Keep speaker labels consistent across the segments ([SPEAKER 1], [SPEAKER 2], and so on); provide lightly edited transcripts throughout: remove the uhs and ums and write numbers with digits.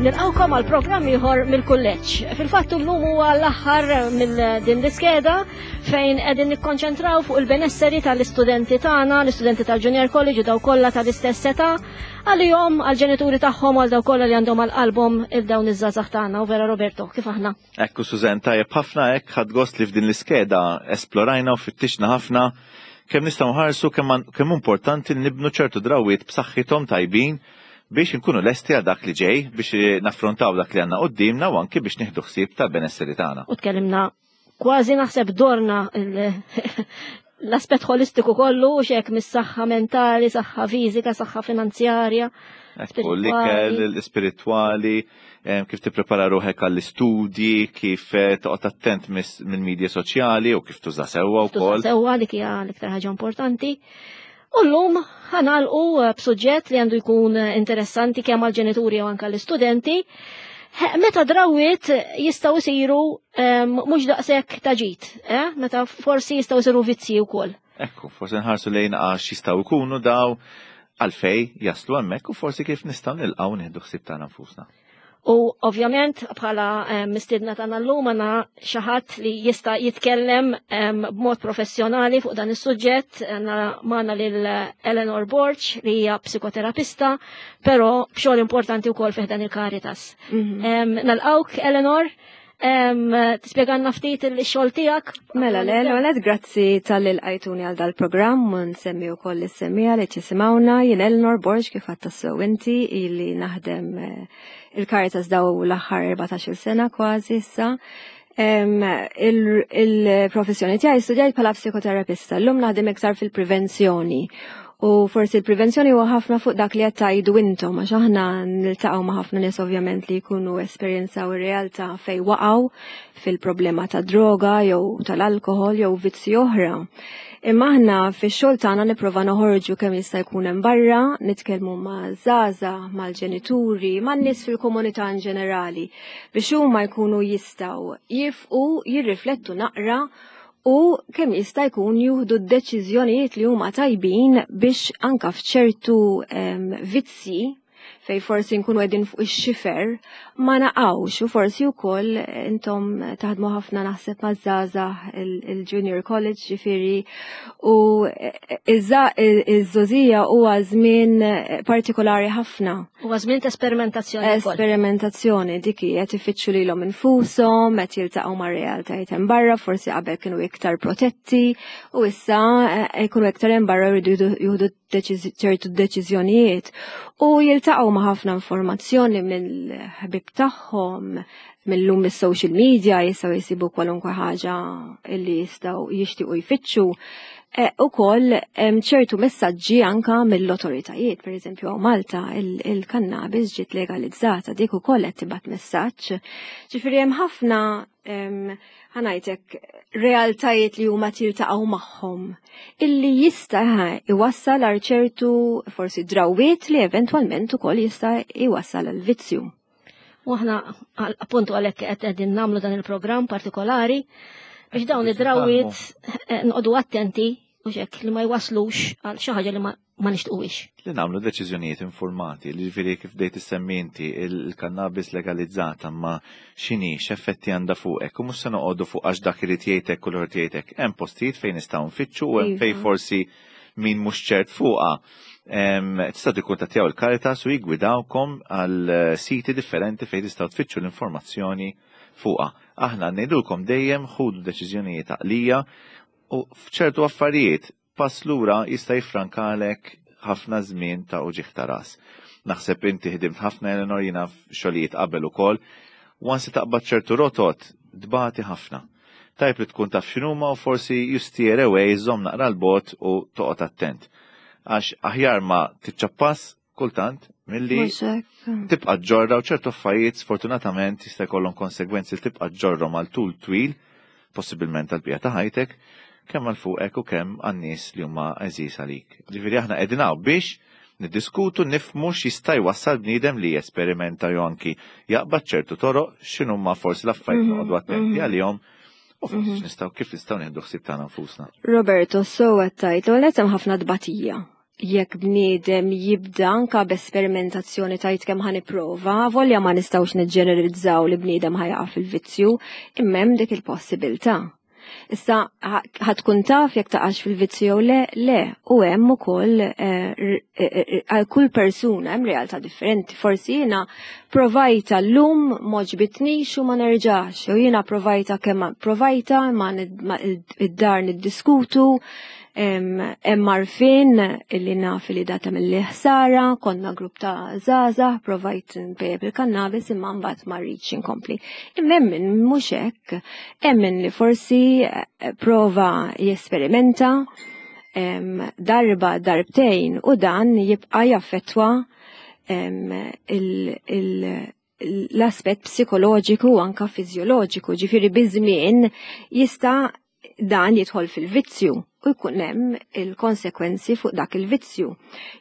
[SPEAKER 1] Nilqawkom għal programm ieħor mill-kulleġġ. Fil-fatt llum huwa l-aħħar mill din l-iskeda fejn qegħdin nikkonċentraw fuq il-benesseri tal-istudenti tagħna, l-istudenti tal-Junior College u daw kollha tal-istess età, għalihom għall-ġenituri tagħhom għal daw kollha li għandhom għal qalbhom il dawn iż-żgħażagħ tagħna. U vera Roberto, kif aħna?
[SPEAKER 2] Ekku Susan, tajjeb ħafna hekk ħadd gost li f'din l-iskeda esplorajna u fittixna ħafna kemm nistgħu nħarsu kemm importanti li nibnu ċertu drawwiet b'saħħithom tajbin biex inkunu lesti għal dak li ġej, biex naffrontaw dak li għandna quddiemna u anki biex nieħdu ħsieb tal-benesseri tagħna.
[SPEAKER 1] U tkellimna kważi naħseb dorna l-aspett holistiku kollu u xek mis-saħħa mentali, saħħa fiżika, saħħa finanzjarja.
[SPEAKER 2] Ekku, l-ikel, l-ispiritwali, kif tipprepara ruħek għall-istudji, kif eh, toqgħod attent mill-medja soċjali u kif tuża sewwa wkoll.
[SPEAKER 1] Sewwa dik hija l-iktar ħaġa importanti. U llum ħanalqu eh, b'suġġett li għandu jkun eh, interessanti kemm għall-ġenituri u anke l-istudenti. Meta drawiet jistgħu jsiru ehm, mhux daqshekk ta' ġid, eh? meta forsi jistgħu jsiru vizzji wkoll.
[SPEAKER 2] Ekku, forsi nħarsu lejn għax jistgħu jkunu daw għalfej jaslu hemmhekk u forsi kif nistgħu nilqgħu nieħdu ħsieb tagħna nfusna.
[SPEAKER 1] U ovvjament bħala eh, mistiedna tagħna llum għandna xi ħadd li jista' jitkellem eh, b'mod professjonali fuq dan is-suġġett għandna magħna lil Eleanor Borg li hija psikoterapista, però b'xogħol importanti wkoll fih dan il-Caritas. Mhm. Nalqawk Eleanor, Tispjegalna ftit il-xogħol tiegħek?
[SPEAKER 3] Mela, le, l grazzi tal-li l-għajtuni għal dal-programm u nsemmi wkoll is-semmija li ċisimawna jien Eleanor Borg kif għadd tassew inti ili naħdem eh, il-Caritas daw l-aħħar 14-il sena kważi issa. Il-professjoni tiegħi studjajt bħala psikoterapista, llum naħdem iktar fil-prevenzjoni U forsi l-prevenzjoni huwa ħafna fuq dak li qed tgħidu intom għax aħna niltaqgħu ma' ħafna nies ovvjament li jkunu esperjenzaw ir-realtà fejn waqgħu fil-problema ta' droga jew tal-alkoħol jew vizzi oħra. Imma aħna fix-xogħol tagħna nipprova noħorġu kemm jista' jkun hemm barra, nitkellmu ma' żgħażagħ, mal-ġenituri, man-nies fil-komunità in ġenerali biex huma jkunu jistgħu jifqu jirriflettu naqra u kemm jista' jkun juhdu d-deċiżjonijiet li huma tajbin biex anka f'ċertu vizzji fej forsi nkunu qegħdin fuq ix-xifer ma naqgħux u forsi wkoll intom taħdmu ħafna naħseb maż-żgħażagħ il-junior college ġifieri u iż-żogħżija huwa żmien partikolari ħafna.
[SPEAKER 1] Huwa żmien ta' esperimentazzjoni.
[SPEAKER 3] Esperimentazzjoni dik hi qed ifittxu lilhom infushom, qed jiltaqgħu ma' realtajiet hemm barra, forsi qabel kienu iktar protetti u issa eh, jkunu iktar hemm barra jridu jieħdu ċertu deċiżjonijiet u jiltaqgħu ma' ħafna informazzjoni mill-ħbib tagħhom, mill-lum is-social media jistgħu jsibu kwalunkwe ħaġa li jistgħu jixtiequ jfittxu. E, u koll ċertu messaġġi anka mill-autoritajiet, per eżempju għaw Malta il-kannabis ġiet legalizzata, dik ukoll qed tibgħat messaġġ. Ġifieri hemm ħafna ħanajtek realtajiet li huma tiltaqgħu magħhom illi jista' iwassal għal ċertu forsi drawiet li eventwalment ukoll jista' iwassal għal vizzju.
[SPEAKER 1] U aħna appuntu għalhekk qed qegħdin nagħmlu dan il-programm partikolari biex dawn id-drawiet eh, nqogħdu attenti u xek li ma jwaslux għal xi ħaġa li ma nixtquwix.
[SPEAKER 2] Li nagħmlu deċiżjonijiet informati, li ġifieri kif dejt issemmi inti il-kannabis legalizzata ma x'inhi x'effetti għandha fuqek u mhux se noqogħdu fuq għax dak irid jgħidlek u l jgħidlek. Hemm postijiet fejn nistgħu nfittxu u hemm fejn forsi min mhux ċert fuqha tistgħu tikkuntattjaw il-Caritas u jiggwidawkom għal eh, siti differenti fejn tistgħu tfittxu l-informazzjoni fuqha. Aħna ngħidulkom dejjem ħudu deċiżjonijiet għaqlija u f'ċertu affarijiet pass lura jista' jiffrankalek ħafna żmien ta' uġigħ ta' ras. Naħseb inti ħdimt ħafna Eleanor jiena f'xogħlijiet qabel ukoll, once taqbad ċertu rotot tbati ħafna. Tajb li tkun taf x'inhuma u forsi you steer away, żomm naqra 'l bogħod u toqgħod attent. Għax aħjar ma tiċċappas kultant milli tibqa' ġġorra u ċertu affarijiet sfortunatament jista' jkollhom konsegwenzi li tibqa' ġġorrhom għal tul twil, possibilment għall-bqija ta' ħajtek, kemm għal fuqek u kemm għan-nies li huma għeżież għalik. Ġifieri aħna qegħdin hawn biex niddiskutu nifhmu x'jista' jwassal bniedem li jesperimenta jew anki jaqbad ċertu toroq x'inhuma forsi l-affarijiet mhm, noqogħdu attenti mhm. għalihom u forsi mhm. nistgħu kif nistgħu nieħdu ħsieb tagħna nfusna.
[SPEAKER 3] Roberto, so qed tgħid, l hemm ħafna tbatija. Jekk bniedem jibda anka b'esperimentazzjoni tajt kemm ħa nipprova, volja ma nistgħux niġġeneralizzaw li bniedem ħa jaqa' fil-vizzju, imma hemm dik il-possibilità. Issa ħa tkun taf jekk taqax fil-vizzju jew le, le, u hemm ukoll għal kull persuna hemm realtà differenti. Forsi jiena provajta llum m'għoġbitnix u ma nerġax, jew jiena provajta kemm provajta ma id-dar niddiskutu, hemm għarfien illi naf li data mill ħsara, konna grupp ta' żgħażagħ, provajt npejjep il-kannabis imma mbagħad ma rridx inkompli. Imma hemm min mhux hekk, hemm min li forsi prova jesperimenta darba darbtejn u dan jibqa' jaffettwa l-aspett psikoloġiku u anka fiżjoloġiku, ġifieri biż-żmien jista' dan jidħol fil-vizzju u jkun hemm il-konsekwenzi fuq dak il-vizzju.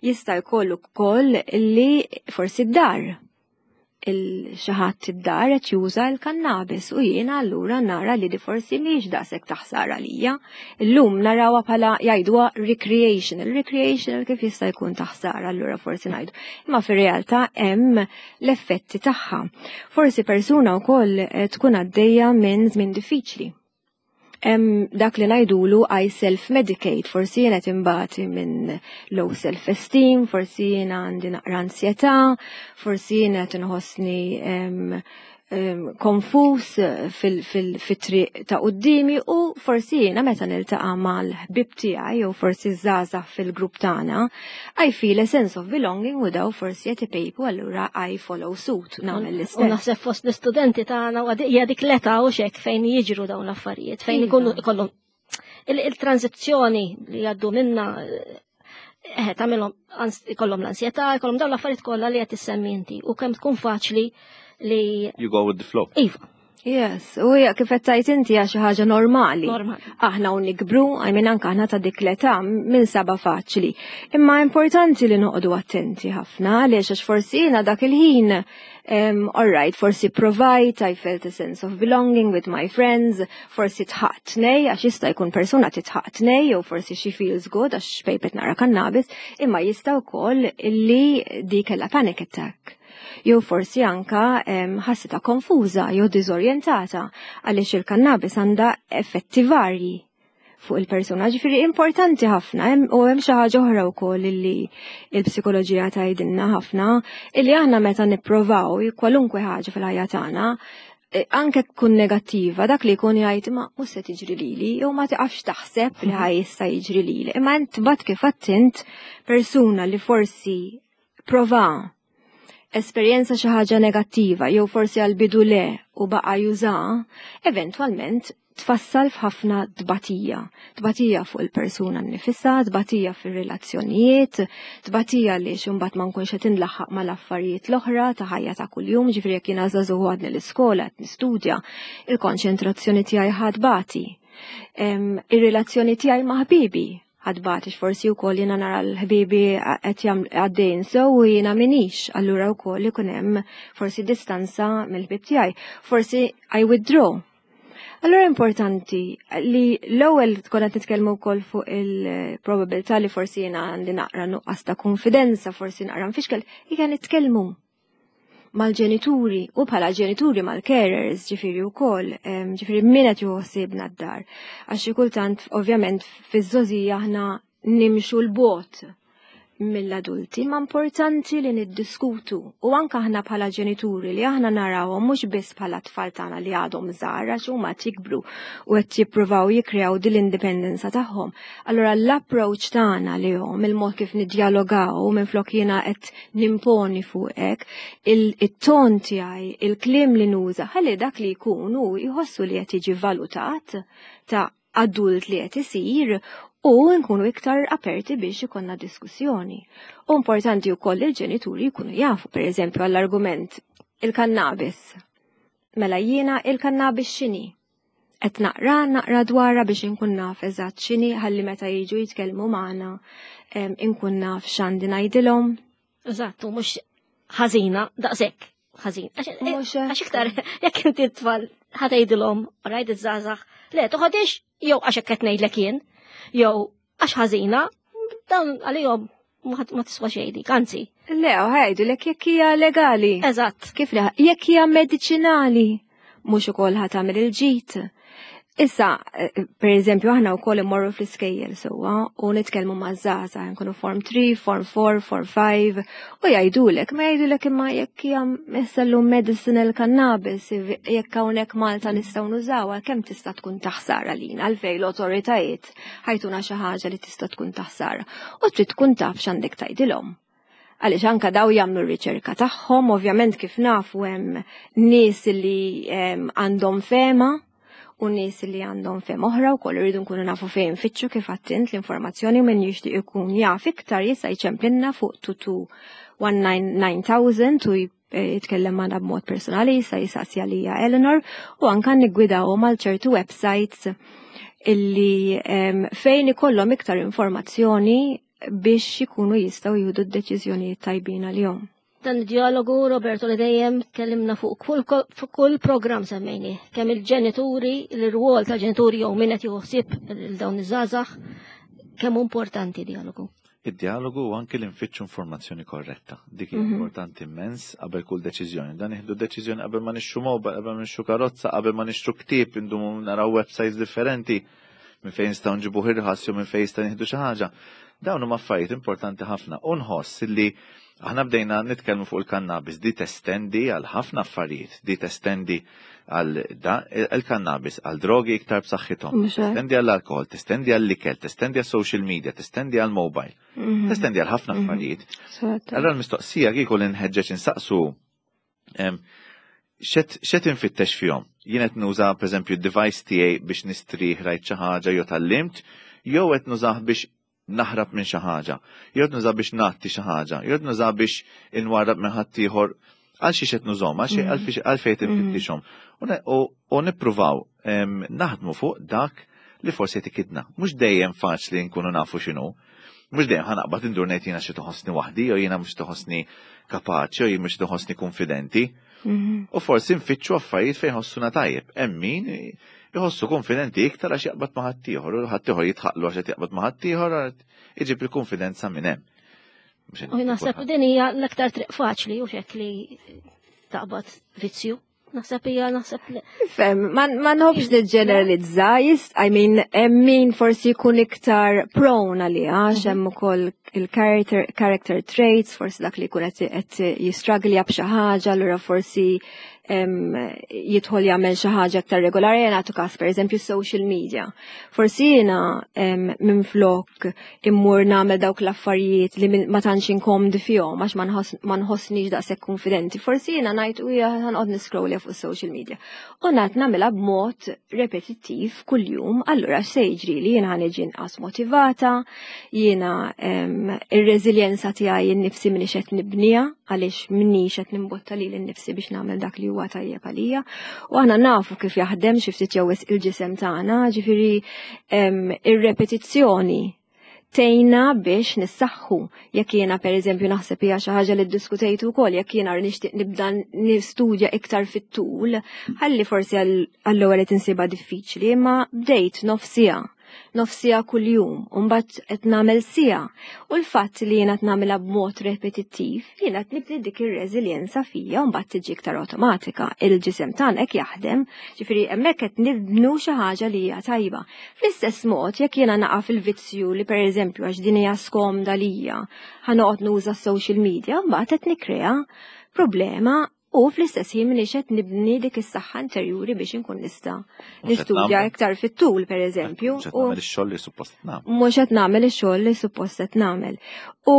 [SPEAKER 3] Jista' jkollu wkoll li forsi d-dar il-xi ħadd id-dar qed juża l-kannabis u jiena allura nara li di forsi mhix daqshekk ta' ħsara lija. Illum narawha bħala jgħiduha recreational, recreational kif jista' jkun ta' ħsara allura forsi ngħidu. Imma fir-realtà hemm l-effetti tagħha. Forsi persuna wkoll tkun għaddejja minn żmien diffiċli. Hemm dak li ngħidulu I self-medicate, forsi jiena qed inbati minn low self-esteem, forsi jiena għandi naqra ansjetà, forsi jiena qed inħossni konfus fit-triq ta' quddiemi u forsi jiena meta niltaqa' mal-ħbieb tiegħi jew forsi żgħażagħ fil-grupp tagħna, I feel a sense of belonging u daw forsi qed ipejpu allura I follow suit, nagħmel l-istess.
[SPEAKER 1] U naħseb fost l-istudenti tagħna u hija dik l-età u xek fejn jiġru dawn l-affarijiet, fejn ikunu ikollhom il-tranzizzjoni li jgħaddu minna tagħmilhom ikollhom l-ansjetà, ikollhom dawn l-affarijiet kollha li qed issemmi inti u kemm tkun faċli li
[SPEAKER 2] You go with the flow.
[SPEAKER 1] Iva.
[SPEAKER 3] Yes, u hija kif qed tgħid inti hija xi ħaġa normali.
[SPEAKER 1] Normali.
[SPEAKER 3] Aħna u nikbru, I mean anke aħna ta' dik l-età minn saba faċli. Imma importanti li noqogħdu attenti ħafna għaliex għax forsi jiena dak il-ħin all right, forsi provajt, I felt a sense of belonging with my friends, forsi tħaqt nej, għax jista' jkun persuna titħaqt nej, jew forsi she feels good għax pejpet nara kannabis, imma jista' wkoll li di kellha panic attack. Jew forsi anka ħassitha konfuża jew diżorjentata għaliex il-kannabis għandha effetti varji fuq il-persuna. Ġifieri importanti ħafna u hemm xi ħaġa oħra wkoll illi il-psikoloġija tgħidilna ħafna illi aħna meta nipprovaw kwalunkwe ħaġa fil-ħajja tagħna anke tkun negattiva, dak li jkun jgħid ma mhux se tiġri lili, jew ma tiqafx taħseb li ħaj jista' jiġri lili. Imma int bad kif għattint persuna li forsi prova esperjenza xi ħaġa negattiva jew forsi għal bidu le u baqa' juża, eventwalment tfassal f'ħafna tbatija. Tbatija fuq il-persuna nnifisha, tbatija fir-relazzjonijiet, tbatija li imbagħad ma nkunx qed inlaħħaq mal-affarijiet l-oħra ta' ħajja ta' kuljum, ġifieri jekk jiena żagħżugħ għadni l-iskola qed nistudja, il-konċentrazzjoni tiegħi ħadbati. Ir-relazzjoni tiegħi ma' ħbibi ħadbati, forsi wkoll jiena nara l-ħbibi qed għaddejn sew u jiena minix, allura wkoll ikun hemm forsi distanza mill-ħbieb tiegħi. Forsi I withdraw. Allura importanti li l-ewwel tkun qed nitkellmu wkoll fuq il-probabilità li forsi jiena għandi naqra nuqqas ta' konfidenza, forsi naqra nfixkel, hija nitkellmu mal-ġenituri u bħala ġenituri mal-carers, ġifieri wkoll, ġifieri min qed juħsibna d-dar. Għax xi kultant ovvjament fiż-żgħożija aħna nimxu l-bogħod mill-adulti, ma importanti li niddiskutu u anka aħna bħala ġenituri li aħna narawhom mhux biss bħala tfal tagħna li għadhom żgħar għax huma qed jikbru u qed jippruvaw jikkreaw din l-indipendenza tagħhom. Allura l-approach tagħna lihom, il-mod kif niddjalogaw minflok jiena qed nimponi fuqek, il-ton tiegħi, il-kliem li nuża, ħalli dak li jkun hu jħossu li qed jiġi valutat ta' adult li qed isir u nkunu iktar aperti biex ikonna diskussjoni. U importanti wkoll li l-ġenituri jkunu jafu, per eżempju, għall-argument il-kannabis. Mela jiena il-kannabis x'inhi? Qed naqra naqra dwarha biex inkun naf eżatt x'inhi ħalli meta jiġu jitkellmu magħna inkun naf x'għandi ngħidilhom.
[SPEAKER 1] Eżatt, u mhux ħażina daqshekk ħażin.
[SPEAKER 3] Mhux hekk.
[SPEAKER 1] Għax iktar jekk inti t-tfal ħatejdilhom, rajt iż-żgħażagħ, le toħodix jew għax hekk qed ngħidlek jien, jew għax ħażina, dawn għalihom. Ma tiswa xejn dik, anzi.
[SPEAKER 3] Le, ħajdu lek jekk hija legali.
[SPEAKER 1] Eżatt.
[SPEAKER 3] Kif li jekk hija mediċinali, mhux ukoll ħa tagħmel il-ġid. Issa, per eżempju, aħna wkoll immorru fl-iskejjel sewwa u nitkellmu ma' żgħażagħ, nkunu form 3, form 4, form 5, u jgħidulek, ma jgħidulek imma jekk hija issa medicinal cannabis, jekk hawnhekk Malta nistgħu nużawha, kemm tista' tkun taħsara lina għalfejn l-awtoritajiet ħa jtuna xi ħaġa li tista' tkun taħsara. U trid tkun taf x'għandek tgħidilhom. Għaliex anka daw jagħmlu r-riċerka tagħhom, ovvjament kif nafu hemm nies li għandhom fehma u nies li għandhom fehma oħra u koll irridu nkunu nafu fejn nfittxu kif għedt l-informazzjoni u min jixtieq ikun jaf iktar jista' jċemplinna fuq 2219 u jitkellem magħna b'mod personali, jista' jisaqsi għalija Eleanor u anka niggwidawhom għal ċertu websites illi fejn ikollhom iktar informazzjoni biex ikunu jistgħu jieħdu d-deċiżjonijiet tajbin għalihom.
[SPEAKER 1] Dan dialogu, Roberto, li dejjem tkellimna fuq kull program semmejni, kemm il-ġenituri, l-rwol ta' ġenituri jew min qed joħsib il dawn iż-żgħażagħ, kemm importanti dialogu.
[SPEAKER 2] Id-dialogu u anke li nfittxu informazzjoni korretta. Dik hija importanti immens qabel kull deċiżjoni. Dan nieħdu deċiżjoni qabel ma nixtru mobile, qabel ma nixtru karozza, qabel ma nixtru ktieb, indumu naraw websites differenti minn fejn nistgħu nġibu irħas jew minn fejn jistgħu nieħdu xi ħaġa. Dawn huma affarijiet importanti ħafna u nħoss li aħna bdejna nitkellmu fuq il-kannabis di testendi għal ħafna affarijiet, di testendi għal il-kannabis, għal drogi iktar b'saħħithom, testendi għall alkohol, testendi għall ikel, testendi għal social media, testendi għal mobile, testendi għal ħafna affarijiet. Allora l-mistoqsija kieku li nħeġġeġ insaqsu x'qed infittex fihom? Jien qed nuża pereżempju d-device tiegħi biex nistrieħ rajt xi ħaġa jew tgħallimt, jew qed nużah biex naħrab minn xi ħaġa, jew qed nużah biex nagħti xi ħaġa, jew qed nużah biex inwarrab minn ħaddieħor għal xi qed nużhom, għal fejn infittixhom. U nippruvaw naħdmu fuq dak li forsi qed ikidna. Mhux dejjem faċli nkunu nafu x'inhu. Mhux dejjem ħa naqbad indur ngħid jiena xi toħossni waħdi, jew jiena mhux toħossni kapaċi, jew jien mhux toħossni konfidenti. U forsi nfittxu affarijiet fejn ħossuna tajjeb. Hemm min jħossu konfidenti iktar għax jaqbad ma' ħaddieħor, u ħaddieħor jidħaqlu għax qed jaqbad ma' ħaddieħor, iġib il-konfidenza minn hemm.
[SPEAKER 1] U naħseb din hija l-aktar triq faċli u xek li taqbad vizzju. Naħseb hija naħseb li.
[SPEAKER 3] Fem, ma nħobbx niġġeneralizza, I mean, hemm min forsi jkun iktar prone għaliha, għax hemm ukoll il-character character traits, forsi dak li jkun qed jistruggle b'xi ħaġa, allura forsi jidħol jagħmel xi ħaġa aktar regolari, jien nagħtu każ pereżempju social media. Forsi jiena minflok immur nagħmel dawk l-affarijiet li ma tantx inkomdi fihom għax ma nħossnix daqshekk konfidenti. Forsi jiena ngħid u hija ħa noqgħod niscrollja fuq social media. U ngħad nagħmilha b'mod repetittiv kuljum, allura x'se jiġri li jiena ħa niġi inqas motivata, jiena ir-reżiljenza tiegħi nnifsi m'iniex qed nibniha għaliex m'iniex qed nimbotta lili nnifsi biex nagħmel dak li huwa tajjeb għalija. U aħna nafu kif jaħdem xi ftit jew wisq il-ġisem tagħna, ġifieri ir-repetizzjoni tgħinna biex nissaħħu. Jekk jiena pereżempju naħseb hija xi ħaġa li ddiskutejtu wkoll, jekk jiena nixtieq nibda nistudja iktar fit-tul, ħalli forsi għall-ewwel qed insibha diffiċli, imma bdejt nofsija nofsija kuljum, u mbagħad qed nagħmel siegħa. U l-fatt li jiena qed nagħmilha b'mod repetittiv, jiena qed nibni dik ir-reżiljenza fija u mbagħad tiġi iktar awtomatika. Il-ġisem tagħna hekk jaħdem, ġifieri hemmhekk qed nibnu xi ħaġa li hija tajba. Fl-istess mod, jekk jiena naqa' fil-vizzju li pereżempju għax din hija skomda lija, ħa noqgħod nuża social media, mbagħad qed nikkrea problema u fl-istess ħin m'iniex qed nibni dik is-saħħa interjuri biex inkun nista' nistudja iktar fit-tul pereżempju.
[SPEAKER 2] Mhux qed nagħmel ix-xogħol li suppost nagħmel.
[SPEAKER 3] Mhux qed nagħmel ix-xogħol li suppost qed nagħmel. U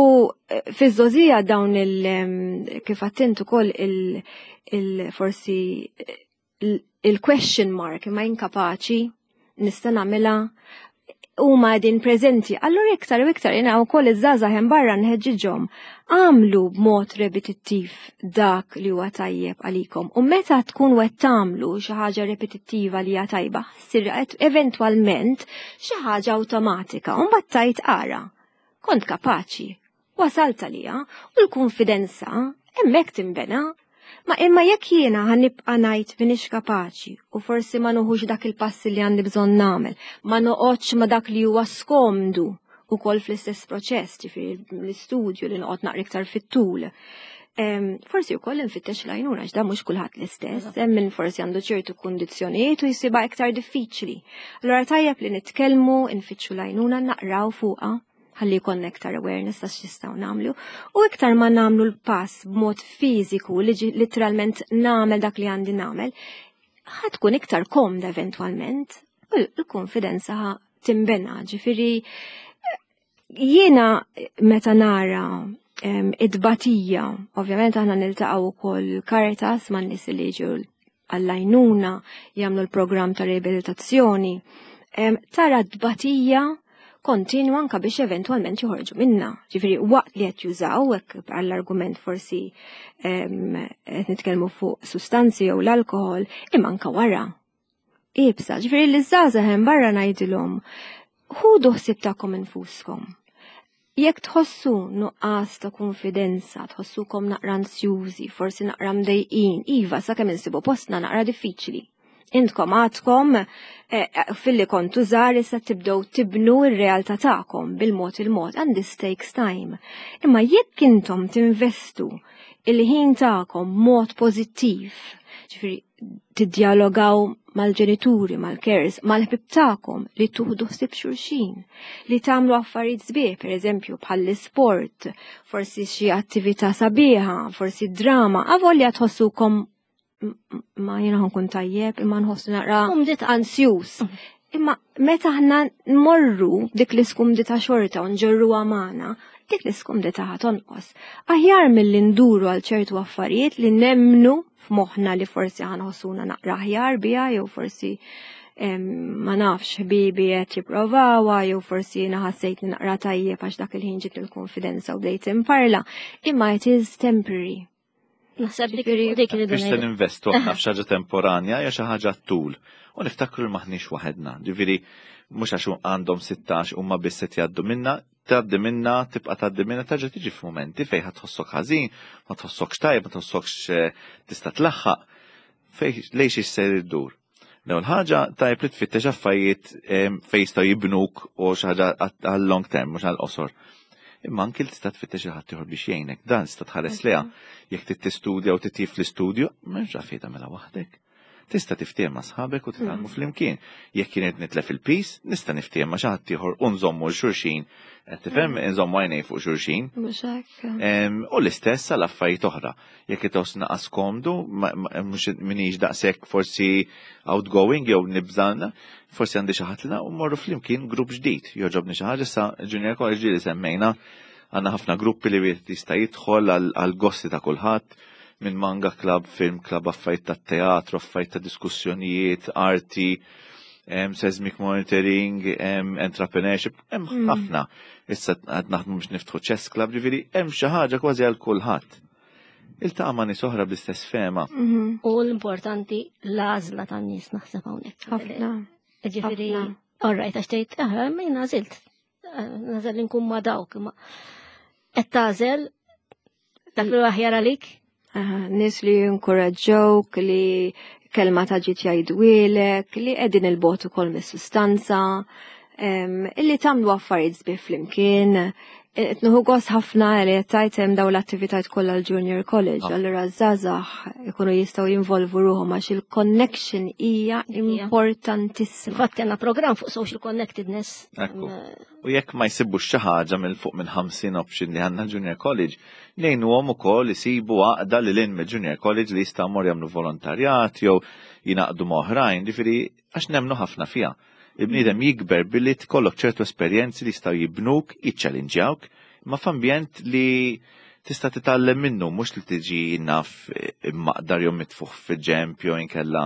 [SPEAKER 3] fiż-żgħożija dawn il kif għedt ukoll il forsi il-question mark ma inkapaċi nista' nagħmilha huma din preżenti. Allura iktar u iktar jiena wkoll iż-żgħażagħ hemm barra nħeġġiġhom għamlu b'mod repetittiv dak li huwa tajjeb għalikom. U meta tkun qed tagħmlu xi ħaġa repetittiva li hija tajba, ssir eventwalment xi ħaġa awtomatika u mbagħad tgħid ara. Kont kapaċi, wasalt għalija u l-konfidenza hemmhekk timbena. Ma imma jekk jiena ħa nibqa' ngħid m'iniex kapaċi u forsi ma nuħux dak il-passi li għandi bżonn nagħmel, ma noqgħodx ma dak li huwa skomdu. Ukoll fl-istess proċess, ġifieri l-istudju li noqgħod naqra iktar fit-tul. Forsi wkoll infittex l-għajnuna għax da mhux kulħadd l-istess, hemm min forsi għandu ċertu kundizzjonijiet u jsibha iktar diffiċli. Allura tajjeb li nitkellmu, nfittxu l-għajnuna, naqraw fuqha ħalli jkollna iktar awareness ta' x'nistgħu nagħmlu u iktar ma nagħmlu l-pass b'mod fiżiku li literalment nagħmel dak li għandi nagħmel, ħa tkun iktar komda eventwalment u l-konfidenza timbena. Ġifieri jiena meta nara id-batija, ovvjament aħna niltaqgħu wkoll Caritas man nies li jiġu għall-għajnuna, jagħmlu l-programm ta' riabilitazzjoni, tara d-batija kontinwa anka biex eventwalment joħorġu minna. Ġifieri waqt li qed jużaw, hekk għall-argument forsi qed nitkellmu fuq sustanzi jew l-alkohol, imma anka wara. Ibsa, ġifieri li żgħażagħ hemm barra ngħidilhom, ħudu ħsieb tagħkom infuskom. Jekk tħossu nuqqas ta' konfidenza, tħossukom naqra ansjużi, forsi naqra mdejqin, iva, sakemm insibu postna naqra diffiċli. Intkom għadkom filli kontu żgħar issa tibdew tibnu r-realtà tagħkom bil-mod il-mod, and this takes time. Imma jekk intom tinvestu il-ħin tagħkom mod pożittiv, ġifieri tiddjalogaw mal-ġenituri, mal-carers, mal-ħbib tagħkom li tuħdu ħsieb xulxin, li tagħmlu affarijiet sbieħ, pereżempju bħall-isport, forsi xi attività sabiħa, forsi drama, avolja tħossukom ma jiena nkun tajjeb, imma nħossu naqra ansjus. Imma meta aħna nmorru dik l-iskumdità xorta u nġorruha magħna, dik l-iskumdità ħa tonqos. Aħjar milli nduru għal ċertu affarijiet li nemmnu f'moħħna li forsi ħanħossuna naqra aħjar biha jew forsi ma nafx ħbibi qed jipprovawha jew forsi jiena ħassejt li naqra tajjeb għax dak il-ħin ġiet il-konfidenza u bdejt imparla. Imma it is temporary.
[SPEAKER 1] Naħseb dik dik li
[SPEAKER 2] Biex se ninvestu aħna f'xi ħaġa temporanja jew xi ħaġa tul. U niftakru li m'aħniex waħedna. Ġifieri mhux għax għandhom 16 huma biss qed jgħaddu minna, tgħaddi minna, tibqa' tgħaddi minna, terġa' tiġi f'mumenti fejn ħa tħossok ħażin, ma tħossokx tajjeb, ma tħossokx tista' tlaħħaq. Fej lejn xiex ser iddur. L-ewwel ħaġa tajjeb li tfittex affarijiet fejn jistgħu jibnuk u xi ħaġa għal long term mhux għal qosor. Imma anki li tista' tfittex xi ħadd ieħor biex jgħinek, dan tista' tħares lejha. Jekk trid tistudja u titjib fl-istudju, m'hemmx għalfejn tagħmilha waħdek. Tista' tiftiehem ma' sħabek u titgħallmu flimkien. Jekk jien qed nitlef il-piż, nista' niftiehem ma' xi ħadd ieħor u nżommu 'l xulxin. Qed tifhem? Inżommu għajnej fuq xulxin.
[SPEAKER 3] Mhux hekk.
[SPEAKER 2] U l-istess għal affarijiet oħra. Jekk qed tħoss naqas komdu, mhux minix daqshekk forsi outgoing jew nibża', forsi għandi xi ħadd li u mmorru flimkien grupp ġdid. Jogħġobni xi ħaġa issa Junior College ġieli semmejna għandna ħafna gruppi li wieħed jista' jidħol għal gosti ta' kulħadd, minn manga club, film club, affarijiet ta' teatru, affarijiet ta' diskussjonijiet, arti, seismic monitoring, entrepreneurship, hemm ħafna. Issa qed naħdmu biex niftħu chess club, ġifieri hemm xi ħaġa kważi għal kulħadd. Iltaqa' ma' nies oħra bl-istess fehma.
[SPEAKER 1] U l-importanti l-għażla tan-nies naħseb hawnhekk.
[SPEAKER 3] Ħafna.
[SPEAKER 1] Ġifieri,
[SPEAKER 3] Ħafna.
[SPEAKER 1] all right, għax tgħid, min għażilt. Nażel li nkun ma' dawk, imma qed tagħżel dak li aħjar għalik?
[SPEAKER 3] Aha, nies li jinkoraġġewk, li kelma ta' ġid jgħidwielek, li qegħdin il-bogħod ukoll mis-sustanza, illi tagħmlu affarijiet sbieħ flimkien. Qed nieħu gost ħafna li qed tgħid hemm dawn l-attivitajiet kollha l-Junior College, allura żgħażagħ ikunu jistgħu jinvolvu ruħhom għax il-connection hija importantissima.
[SPEAKER 1] Infatti għandna programm fuq social connectedness.
[SPEAKER 2] Ekku. U jekk ma jsibux xi ħaġa minn fuq minn 50 option li għandna Junior College, ngħinuhom ukoll isibu għaqda lil hinn mill-Junior College li jistgħu jmorru jagħmlu volontarjat jew jingħaqdu ma' oħrajn, ġifieri għax nemmnu ħafna fiha. Il-bniedem jikber billi tkollok ċertu esperjenzi li jistgħu jibnuk, jiċċellinġjawk, imma f'ambjent li tista' titgħallem minnu, mhux li tiġi naf immaqdar jew mitfuħ fil-ġemp jew inkella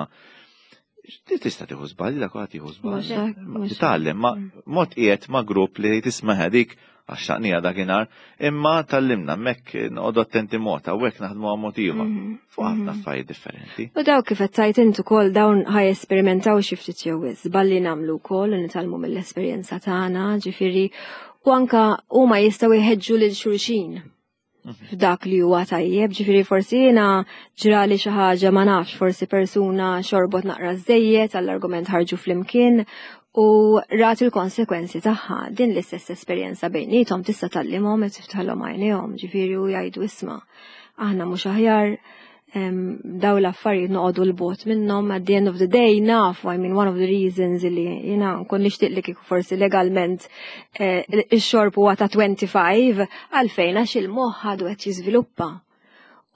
[SPEAKER 2] Ti tista' tieħu żbalji, dak kulħadd jieħu żbalji.
[SPEAKER 3] Mhux hekk,
[SPEAKER 2] Ma
[SPEAKER 3] mhux hekk.
[SPEAKER 2] titgħallem, ma mod qiegħed ma' grupp li tisma' dik għax xaqnija dakinhar, imma tallimna hemmhekk noqogħdu attenti mod, hawnhekk naħdmu għal mod ieħor. Fuq ħafna affarijiet differenti.
[SPEAKER 3] U daw kif qed tgħid int ukoll dawn ħaj esperimentaw xi ftit jew wisq, żballi nagħmlu wkoll u nitgħallmu mill-esperjenza tagħna, ġifieri u anka huma jistgħu jħeġġu lil xulxin f'dak li huwa tajjeb, ġifieri forsi jiena ġrali xi ħaġa ma nafx, forsi persuna xorbot naqra żejjed għall-argument ħarġu flimkien U rat il-konsekwenzi tagħha. Din l-istess esperjenza bejniethom tista' tgħallimhom qed tiftaħlhom għajnejhom, ġifieri u jgħidu isma' aħna mhux aħjar daw l-affarijiet noqogħdu 'l bogħod minnhom. At the end of the day nafu, I mean, one of the reasons li jiena nkun nixtieq li kieku forsi legalment ix-xorb huwa ta' 25, għalfejn? Għax il-moħħ għadu qed jiżviluppa.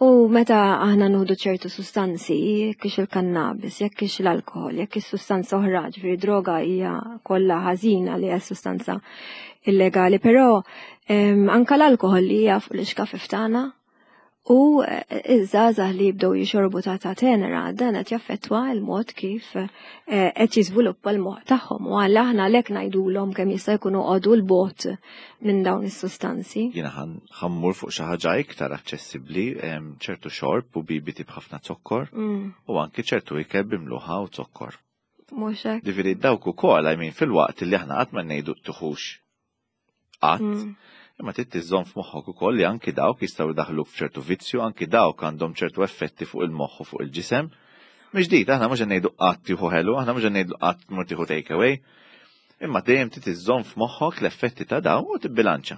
[SPEAKER 3] U meta aħna nieħdu ċertu sustanzi, jekk hix il-kannabis, jekk hix l-alkohol, jekk hix sustanza oħra, ġifieri droga hija kollha ħażina li hija sustanza illegali, però anka l-alkohol li hija fuq l-ixkafif tagħna u iż-żgħażagħ li jibdew jixorbu ta' tenera, dan qed jaffettwa l-mod kif qed jiżviluppa l-moħħ tagħhom. U għal aħna għalhekk ngħidulhom kemm jista' jkunu qogħdu 'l bogħod minn dawn is-sustanzi.
[SPEAKER 2] Jiena ħa mmur fuq xi ħaġa iktar aċċessibbli, ċertu xorb u bibiti b'ħafna zokkor u anki ċertu ikel b'imluħa u zokkor.
[SPEAKER 3] Mhux hekk.
[SPEAKER 2] Ġifieri dawk ukoll, I mean, fil-waqt li aħna qatt ma ngħidu tuħux qatt, imma trid tiżżomm f'moħħok ukoll li anki dawk jistgħu jdaħħluk f'ċertu vizzju, anki dawk għandhom ċertu effetti fuq il-moħħ u fuq il-ġisem. Mhix ġdid, aħna mhux qed ngħidu qatt tieħu ħelu, aħna mhux qed ngħidu qatt tmur tieħu take away. Imma dejjem trid iżżomm f'moħħok l-effetti ta' dawn u tibbilanċa.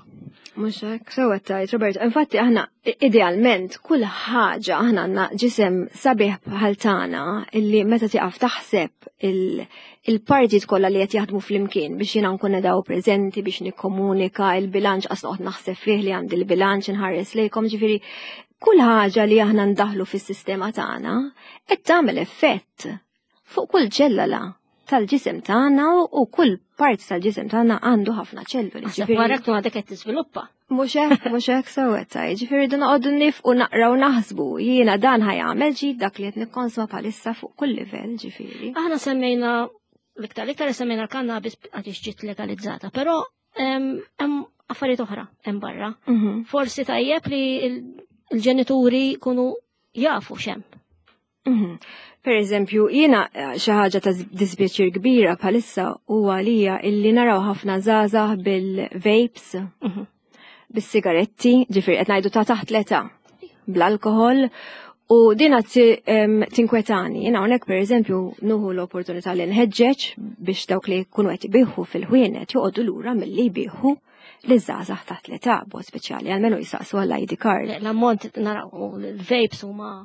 [SPEAKER 3] Mhux hekk, sew qed tgħid, Robert. Infatti aħna idealment kull ħaġa, aħna għandna ġisem sabiħ bħal tagħna illi meta tieqaf taħseb il-partijiet kollha li qed jaħdmu flimkien biex jiena nkun daw preżenti biex nikkomunika il-bilanċ, qas noqgħod naħseb fih li għandi l-bilanċ inħares lejkom, ġifieri kull ħaġa li aħna ndaħlu fis-sistema tagħna qed tagħmel effett fuq kull ċellula tal-ġisem tagħna u kull part tal-ġisem tagħna għandu ħafna ċelluli.
[SPEAKER 1] Naħseb wara tkun għadek qed tiżviluppa.
[SPEAKER 3] Mhux hekk, mhux hekk, sew qed tgħid. Ġifieri dun noqogħdu nifqu naqraw naħsbu. Jiena dan ħa jagħmel ġid dak li qed nikkonsma bħalissa fuq kull livell, ġifieri.
[SPEAKER 1] Aħna semmejna l-iktar semmejna l-kannabis għaliex ġiet legalizzata, però hemm affarijiet oħra hemm barra. Forsi tajjeb li l-ġenituri jkunu jafu x'hemm.
[SPEAKER 3] Per eżempju, jiena xi ħaġa ta' dispjaċir kbira bħalissa huwa għalija illi naraw ħafna żgħażagħ bil-vapes, bis-sigaretti, ġifieri qed ngħidu ta' taħt l-età, bl-alkohol, u din qed tinkwetani. Jiena hawnhekk per eżempju nuħu l-opportunità li nħeġġeġ biex dawk li jkunu qed ibiħu fil-ħwienet joqogħdu lura milli jbieħu li żgħażagħ taħt l-età, b'mod speċjali, għalmenu jisaqsu għall-ID card.
[SPEAKER 1] L-ammont naraw l-vapes huma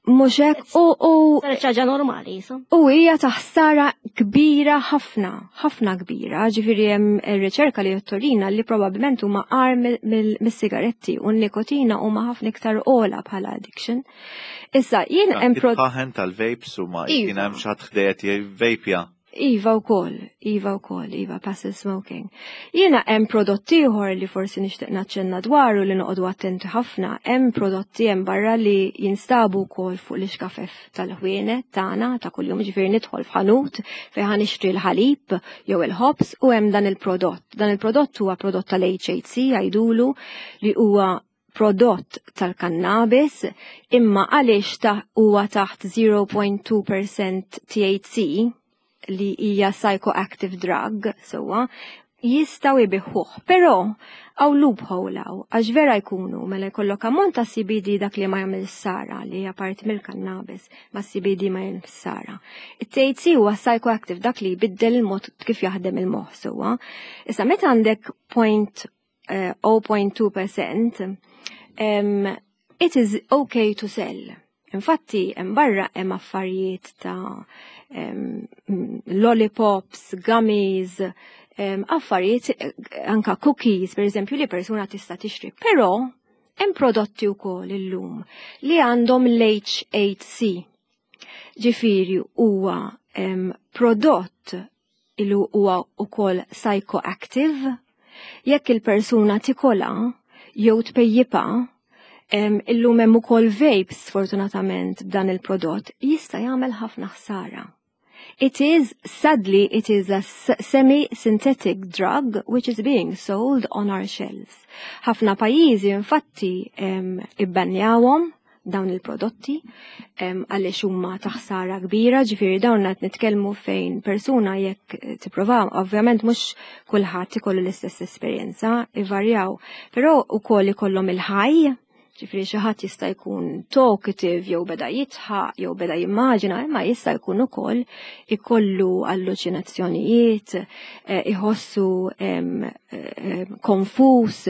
[SPEAKER 3] Mhux hekk, u
[SPEAKER 1] Saret ħaġa normali, jisa.
[SPEAKER 3] U hija ta' ħsara kbira ħafna, ħafna kbira, ġifieri hemm riċerka li jottorina li probabbilment huma agħar mis-sigaretti u n-nikotina huma ħafna iktar ogħla bħala addiction. Issa, jien hemm
[SPEAKER 2] prod- Ħaħen tal-vapes huma
[SPEAKER 3] Iva.
[SPEAKER 2] kien hemm xi ħadd ħdejja jivvapja.
[SPEAKER 3] Iva wkoll, iva wkoll, iva, passive smoking. Jiena hemm prodotti ieħor li forsi nixtieq naċċenna dwaru li noqogħdu attenti ħafna, hemm prodotti hemm barra li jinstabu wkoll fuq l-ixkafef tal-ħwienet tagħna ta' kuljum, ġifieri nidħol f'ħanut fejn ħa nixtri l-ħalib jew il-ħobż u hemm dan il-prodott. Dan il-prodott huwa prodott tal-HHC jgħidulu li huwa prodott tal-kannabis, imma għaliex huwa taħt 0.2% THC li hija psychoactive drug, sewwa, jistgħu jbigħuh. Però hawn loophole hawn, għax vera jkunu mela jkollok ammont ta' CBD dak li ma jagħmel ħsara, li hija parti mill-kannabis, ma CBD ma jagħmel ħsara. It-THC huwa psychoactive, dak li jbiddel il-mod kif jaħdem il-moħħ, sewwa. Issa meta għandek point, 0.2%, it is okay to sell. Infatti, hemm barra hemm affarijiet ta' lollipops, gummies, affarijiet, anka cookies, per eżempju, li persuna tista' tixtri. Però hemm prodotti wkoll illum li għandhom l-HHC. Ġifieri huwa prodott li huwa wkoll psychoactive. Jekk il-persuna tikola jew tpejjipa, illum hemm ukoll vapes sfortunatament b'dan il-prodott, jista' jagħmel ħafna ħsara. It is, sadly, it is a semi-synthetic drug which is being sold on our shelves. Ħafna pajjiżi infatti ibbanjawhom dawn il-prodotti għaliex huma ta' ħsara kbira, ġifieri dawn qed nitkellmu fejn persuna jekk tipprova, ovvjament mhux kulħadd ikollu l-istess esperjenza, ivarjaw, però wkoll ikollhom il-ħaj, Ġifieri xi ħadd jista' jkun talkative jew beda jidħaq jew beda jimmaġina, imma jista' jkun ukoll ikollu alluċinazzjonijiet, iħossu konfus,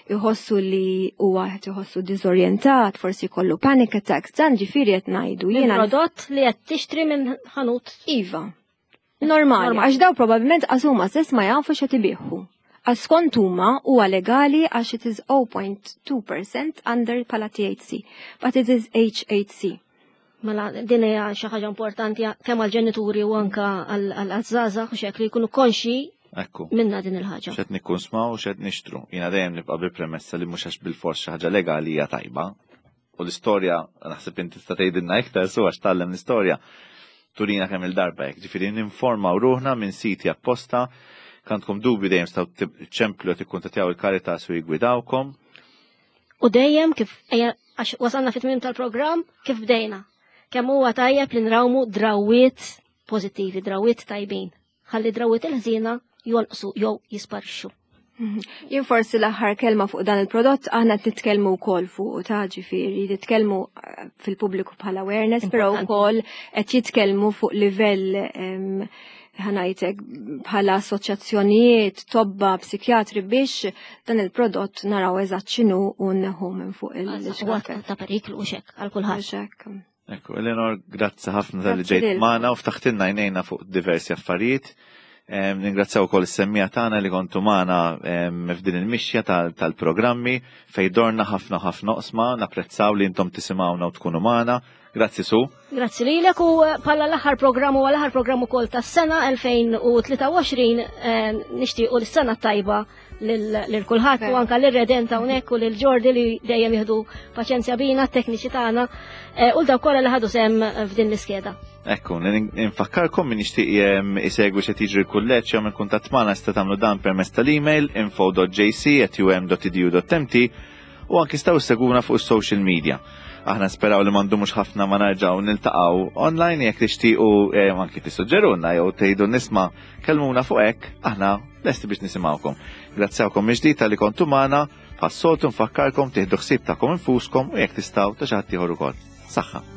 [SPEAKER 3] iħossu li huwa qed iħossu diżorjentat, forsi jkollu panic attacks, dan ġifieri qed ngħidu
[SPEAKER 1] jiena. Prodott li qed tixtri minn ħanut.
[SPEAKER 3] Iva. Normali, għax daw probabbilment għax huma stess ma jafu x'qed ibigħu. Għax skont huma huwa legali għax it is 0.2% under bħala THC, but it is HHC.
[SPEAKER 1] Mela din hija xi ħaġa importanti kemm għall-ġenituri u anka għall-żgħażagħ u xek li jkunu konxi
[SPEAKER 2] Ekku.
[SPEAKER 1] minna din il-ħaġa.
[SPEAKER 2] X'qed nikkunsmaw u x'qed nixtru. Jiena dejjem nibqa' bil-premessa li mhux għax bil-fors xi ħaġa legali hija tajba. U l-istorja, naħseb inti tista' tgħidilna iktar su għax tgħallem l-istorja, turina kemm il-darba hekk. Ġifieri ninformaw ruħna minn siti apposta, kantkom dubju dejjem staw ċemplu tikkuntattjaw il-Caritas u jigwidawkom.
[SPEAKER 1] U dejjem kif għax wasalna fit-tmiem tal-programm kif bdejna. Kemm huwa tajjeb li nrawmu drawiet pożittivi, drawiet tajbin. Ħalli drawiet il-ħżiena jonqsu jew jisparixxu.
[SPEAKER 3] Jien forsi l-aħħar kelma fuq dan il-prodott aħna qed nitkellmu wkoll fuq ta' ġifieri, nitkellmu fil-pubbliku bħala awareness, però wkoll qed jitkellmu fuq livell ħanajtek bħala assoċjazzjonijiet, tobba, psikjatri biex dan il-prodott naraw eżatt x'inhu u nneħħu minn fuq il-xkafet.
[SPEAKER 1] Ta' periklu u xek għal kulħadd.
[SPEAKER 2] Ekku, Eleanor, grazzi ħafna tal-li ġejt magħna u ftaħtilna għajnejna fuq diversi affarijiet. Ningrazzjaw ukoll is-semmija tagħna li kontu magħna f'din il-mixja tal-programmi fejn dorna ħafna ħafna oqsma, napprezzaw li intom tisimgħuna u tkunu magħna. Grazzi Su.
[SPEAKER 1] Grazzi lilek u bħala l-aħħar programm u l-aħħar programm ukoll tas-sena 2023 nixtiequ l-sena tajba lil kulħadd u anka lil Redent hawnhekk u lil Ġordi li dejjem jieħdu paċenzja bina t-tekniċi tagħna u dawk kollha li ħadu sehem f'din l-iskeda.
[SPEAKER 2] Ekku, nfakkarkom min jixtieq isegwi x'qed jiġri l-kulleġġ jew minn kuntatt magħna jista' tagħmlu dan permezz tal-email info.jc@um.edu.mt u anki staw seguna fuq is-social media. Aħna speraw li m'għandumux ħafna ma narġgħu niltaqgħu online jekk tixtiequ anki tissuġġerulna jew tgħidu nisma' kellmuna fuq hekk, aħna lesti biex nisimgħukom. Grazzjawkom mill-ġdid talli kontu magħna, bħas-soltu nfakkarkom tieħdu ħsieb tagħkom infuskom u jekk tistgħu ta' xi ħadd ieħor ukoll. Saħħa.